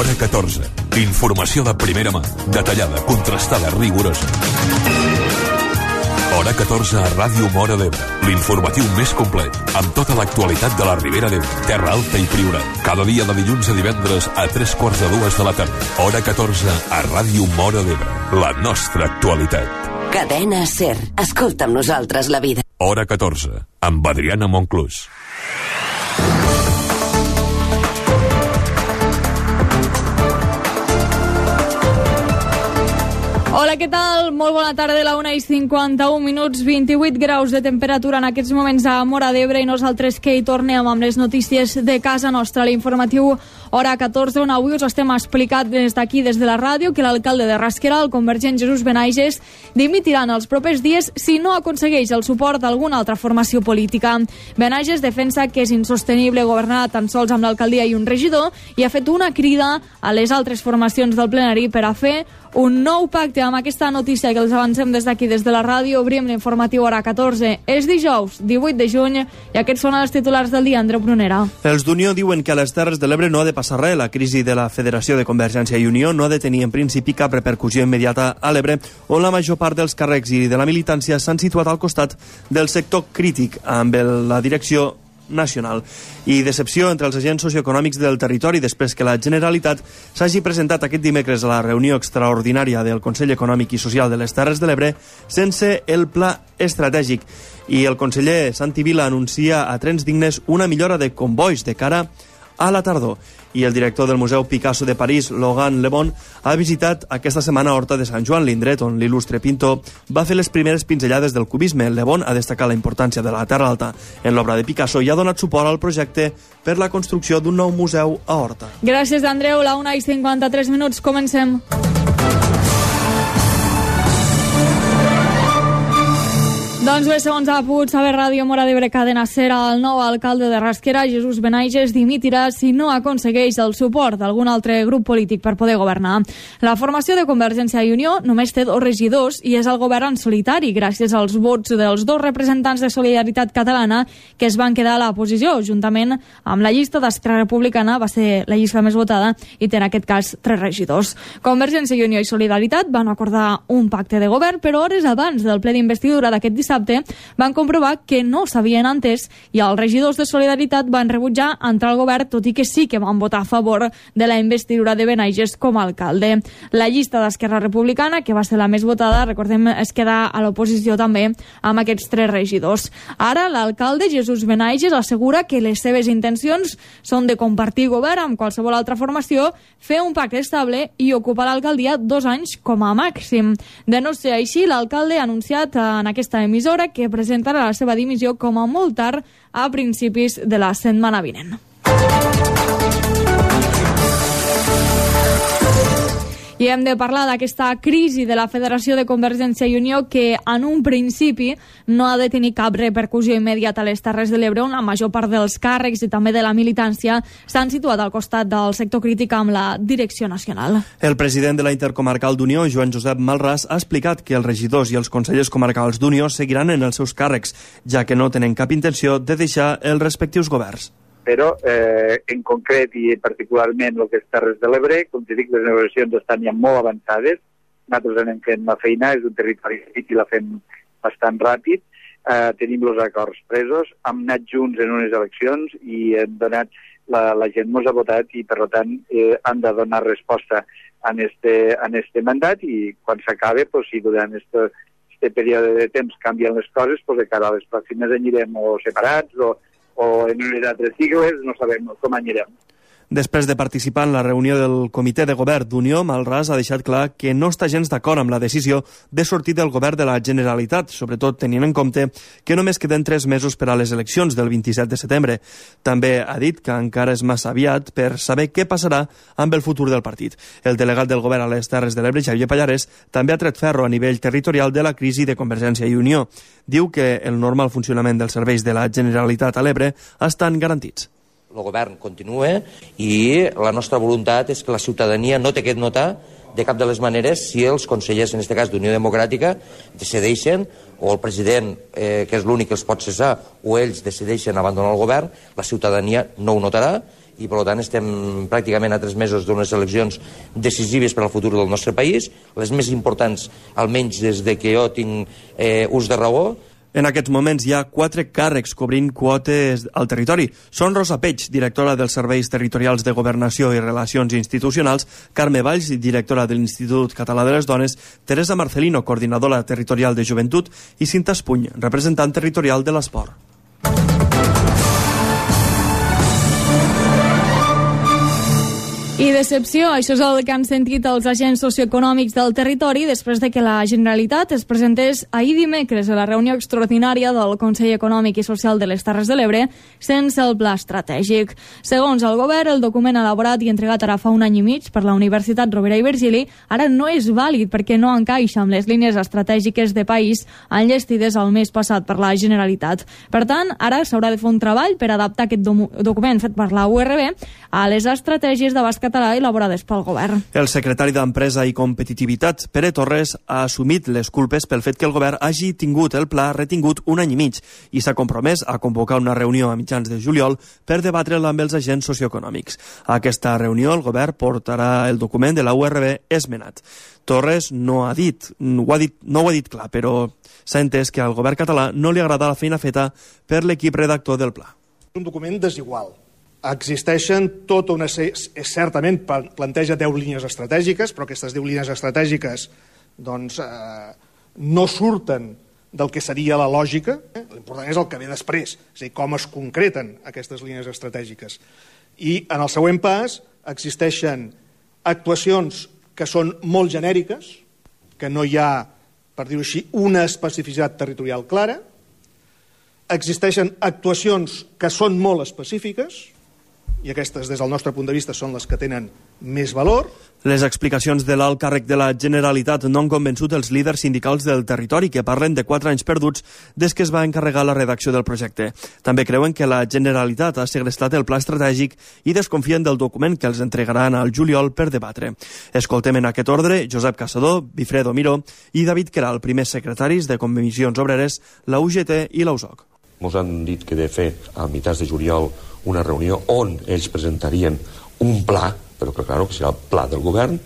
Hora 14. Informació de primera mà, detallada, contrastada, rigorosa. Hora 14 a Ràdio Móra d'Ebre. L'informatiu més complet, amb tota l'actualitat de la Ribera d'Ebre, Terra Alta i Priorat. Cada dia de dilluns a divendres a 3:45 de la tarda. Hora 14 a Ràdio Móra d'Ebre. La nostra actualitat. Cadena SER. Escolta amb nosaltres la vida. Hora 14, amb Adriana Monclús. Hola, què tal? Molt bona tarda, a la 1:51, 28 graus de temperatura en aquests moments a Móra d'Ebre i nosaltres que hi tornem amb les notícies de casa nostra. L'informatiu Hora 14, on avui us estem explicant des d'aquí, des de la ràdio, que l'alcalde de Rasquera, el convergent Jesús Benaiges, dimitirà en els propers dies si no aconsegueix el suport d'alguna altra formació política. Benaiges defensa que és insostenible governar tan sols amb l'alcaldia i un regidor i ha fet una crida a les altres formacions del plenari per a fer un nou pacte. Amb aquesta notícia que els avancem des d'aquí, des de la ràdio, obrim l'informatiu Hora 14. És dijous, 18 de juny, i aquests són els titulars del dia. Andreu Brunera. Els d'Unió diuen que a les Terres de l'Ebre no ha de passar res. La crisi de la Federació de Convergència i Unió no ha de tenir en principi cap repercussió immediata a l'Ebre, on la major part dels càrrecs i de la militància s'han situat al costat del sector crític amb la direcció nacional. I decepció entre els agents socioeconòmics del territori després que la Generalitat s'hagi presentat aquest dimecres a la reunió extraordinària del Consell Econòmic i Social de les Terres de l'Ebre sense el pla estratègic. I el conseller Santi Vila anuncia a Trens Dignes una millora de convois de cara a la tardor. I el director del Museu Picasso de París, Logan Le Bon, ha visitat aquesta setmana Horta de Sant Joan, l'indret on l'il·lustre pintor va fer les primeres pinzellades del cubisme. Le Bon ha destacat la importància de la Terra Alta en l'obra de Picasso i ha donat suport al projecte per la construcció d'un nou museu a Horta. Gràcies, Andreu. La 1:53, comencem. Doncs bé, segons ha pogut saber Ràdio Móra d'Ebre, Cadena SER, el nou alcalde de Rasquera, Jesús Benaiges, dimitirà si no aconsegueix el suport d'algun altre grup polític per poder governar. La formació de Convergència i Unió només té 2 regidors i és el govern en solitari, gràcies als vots dels 2 representants de Solidaritat Catalana que es van quedar a la posició, juntament amb la llista d'Esquerra Republicana, va ser la llista més votada i té en aquest cas 3 regidors. Convergència i Unió i Solidaritat van acordar un pacte de govern, però hores abans del ple d'investidura d'aquest dissabte van comprovar que no s'havien entès i els regidors de Solidaritat van rebutjar entrar al govern, tot i que sí que van votar a favor de la investidura de Benaiges com a alcalde. La llista d'Esquerra Republicana, que va ser la més votada, recordem, es queda a l'oposició també amb aquests 3 regidors. Ara l'alcalde Jesús Benaiges assegura que les seves intencions són de compartir govern amb qualsevol altra formació, fer un pacte estable i ocupar l'alcaldia 2 anys com a màxim. De no ser així, l'alcalde ha anunciat en aquesta emissora que presentarà la seva dimissió com a molt tard a principis de la setmana vinent. I hem de parlar d'aquesta crisi de la Federació de Convergència i Unió que en un principi no ha de tenir cap repercussió immediata a les Terres de l'Ebre, on la major part dels càrrecs i també de la militància s'han situat al costat del sector crític amb la direcció nacional. El president de la Intercomarcal d'Unió, Joan Josep Malràs, ha explicat que els regidors i els consellers comarcals d'Unió seguiran en els seus càrrecs, ja que no tenen cap intenció de deixar els respectius governs. Però en concret i particularment el que és Terres de l'Ebre, com te dic, les negociacions estan ja molt avançades, nosaltres anem fent la feina, és un territori i la fem bastant ràpid, tenim els acords presos, hem anat junts en unes eleccions i hem donat, la gent mos ha votat i per tant han de donar resposta en este mandat i quan s'acabe, si durant este període de temps canvien les coses, de cara a les pròximes anirem o separats o en unes altres sigles, no sabem com anirem. Després de participar en la reunió del Comitè de Govern d'Unió, Malràs ha deixat clar que no està gens d'acord amb la decisió de sortir del govern de la Generalitat, sobretot tenint en compte que només queden 3 mesos per a les eleccions del 27 de setembre. També ha dit que encara és massa aviat per saber què passarà amb el futur del partit. El delegat del govern a les Terres de l'Ebre, Xavier Pallarès, també ha tret ferro a nivell territorial de la crisi de Convergència i Unió. Diu que el normal funcionament dels serveis de la Generalitat a l'Ebre estan garantits. El govern continua i la nostra voluntat és que la ciutadania no té que notar de cap de les maneres si els consellers, en aquest cas d'Unió Democràtica, decideixen, o el president, que és l'únic que els pot cessar, o ells decideixen abandonar el govern, la ciutadania no ho notarà i per tant estem pràcticament a 3 mesos d'unes eleccions decisives per al futur del nostre país, les més importants almenys des de que jo tinc ús de raó. En aquests moments hi ha 4 càrrecs cobrint quotes al territori. Són Rosa Peig, directora dels Serveis Territorials de Governació i Relacions Institucionals, Carme Valls, directora de l'Institut Català de les Dones, Teresa Marcelino, coordinadora territorial de Joventut, i Cinta Espuny, representant territorial de l'esport. I decepció, això és el que han sentit els agents socioeconòmics del territori després de que la Generalitat es presentés ahir dimecres a la reunió extraordinària del Consell Econòmic i Social de les Terres de l'Ebre sense el pla estratègic. Segons el govern, el document elaborat i entregat ara fa un any i mig per la Universitat Rovira i Virgili ara no és vàlid perquè no encaixa amb les línies estratègiques de país enllestides el mes passat per la Generalitat. Per tant, ara s'haurà de fer un treball per adaptar aquest document fet per la URB a les estratègies d'abast català elaborades pel govern. El secretari d'Empresa i Competitivitat, Pere Torres, ha assumit les culpes pel fet que el govern hagi tingut el pla retingut un any i mig i s'ha compromès a convocar una reunió a mitjans de juliol per debatre-la amb els agents socioeconòmics. A aquesta reunió el govern portarà el document de la URB esmenat. Torres no ho ha dit clar, però s'ha entès que al govern català no li agrada la feina feta per l'equip redactor del pla. Un document desigual. Existeixen tota una sèrie, certament planteja 10 línies estratègiques, però aquestes 10 línies estratègiques no surten del que seria la lògica. L'important és el que ve després, és a dir, com es concreten aquestes línies estratègiques. I en el següent pas existeixen actuacions que són molt genèriques, que no hi ha, per dir-ho així, una especificitat territorial clara. Existeixen actuacions que són molt específiques, i aquestes, des del nostre punt de vista, són les que tenen més valor. Les explicacions de l'alt càrrec de la Generalitat no han convençut els líders sindicals del territori, que parlen de 4 anys perduts des que es va encarregar la redacció del projecte. També creuen que la Generalitat ha segrestat el pla estratègic i desconfien del document que els entregaran al juliol per debatre. Escoltem en aquest ordre Josep Caçador, Bifredo Miró i David Queralt, primers secretaris de Comissions Obreres, la UGT i la USOC. Ens han dit que de fer a mitjans de juliol una reunió on ells presentarien un pla, però que claro, que serà el pla del govern,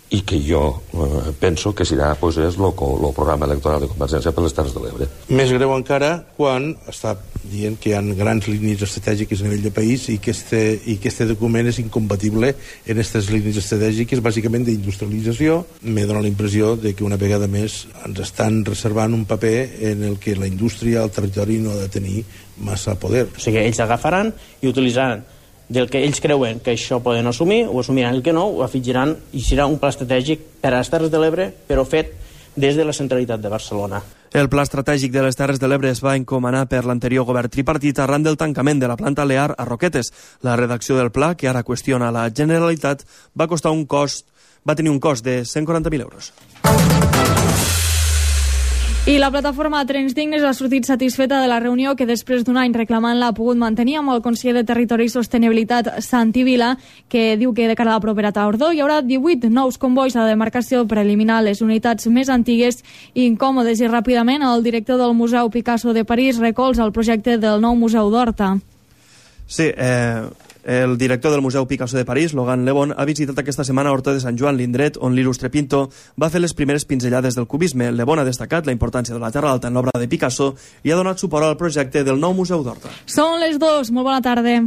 i que jo penso que serà pues, és el programa electoral de Convergència per les Terres de l'Ebre. Més greu encara quan està dient que hi ha grans línies estratègiques a nivell de país i que este document és incompatible en aquestes línies estratègiques, bàsicament d'industrialització. Me dona la impressió de que una vegada més ens estan reservant un paper en el que la indústria al territori no ha de tenir massa poder. O sigui, ells agafaran i utilitzaran del que ells creuen que això poden assumir, ho assumiran, el que no, ho afegiran i serà un pla estratègic per a les Terres de l'Ebre, però fet des de la centralitat de Barcelona. El pla estratègic de les Terres de l'Ebre es va encomanar per l'anterior govern tripartit arran del tancament de la planta Lear a Roquetes. La redacció del pla, que ara qüestiona la Generalitat, va tenir un cost de 140.000 euros. I la plataforma Trens Dignes ha sortit satisfeta de la reunió que després d'un any reclamant-la ha pogut mantenir amb el conseller de Territori i Sostenibilitat, Santi Vila, que diu que de cara a la propera tardor hi haurà 18 nous convois a la demarcació per eliminar les unitats més antigues i incòmodes, i ràpidament el director del Museu Picasso de París recolza el projecte del nou Museu d'Horta. Sí, el director del Museu Picasso de París, Logan Lebon, ha visitat aquesta setmana Horta de Sant Joan, l'indret on l'il·lustre pintor va fer les primeres pinzellades del cubisme. Lebon ha destacat la importància de la Terra Alta en l'obra de Picasso i ha donat suport al projecte del nou Museu d'Horta. Són les 2, molt bona tarda.